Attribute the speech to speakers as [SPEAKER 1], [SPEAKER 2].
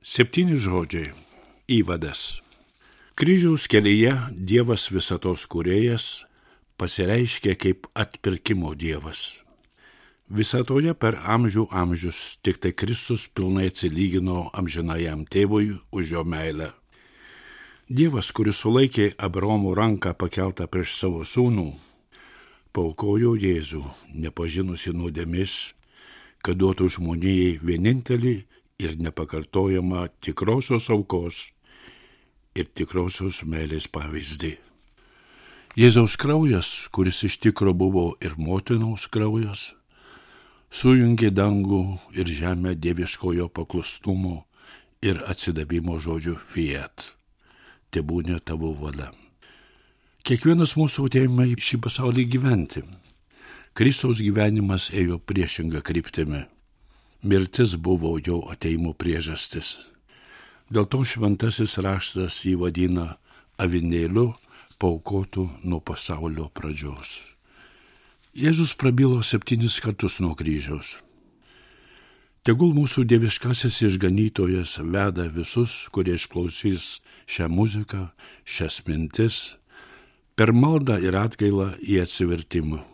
[SPEAKER 1] 7 žodžiai. Įvadas. Kryžiaus kelyje Dievas visatos kūrėjas pasireiškia kaip atpirkimo Dievas. Visatoje per amžius tik tai Kristus pilnai atsilygino amžinajam tėvui už jo meilę. Dievas, kuris sulaikė Abraomo ranką pakeltą prieš savo sūnų, paaukojo Jėzų, nepažinusi nuodėmės, kad duotų žmonijai vienintelį ir nepakartojamą tikrosios aukos ir tikrosios meilės pavyzdį. Jėzaus kraujas, kuris iš tikro buvo ir motinos kraujas, sujungė dangų ir žemę dieviškojo paklustumo ir atsidavimo žodžiu fiat. Tebūnie tavo valia. Kiekvienas mūsų atėjome į šį pasaulį gyventi. Kristaus gyvenimas ėjo priešinga kryptimi. Mirtis buvo jo ateimo priežastis. Dėl to šventasis raštas jį vadina avinėliu paaukotu nuo pasaulio pradžios. Jėzus prabilo 7 kartus nuo kryžiaus. Tegul mūsų dieviškasis išganytojas veda visus, kurie išklausys šią muziką, šias mintis, per maldą ir atgailą į atsivertimą.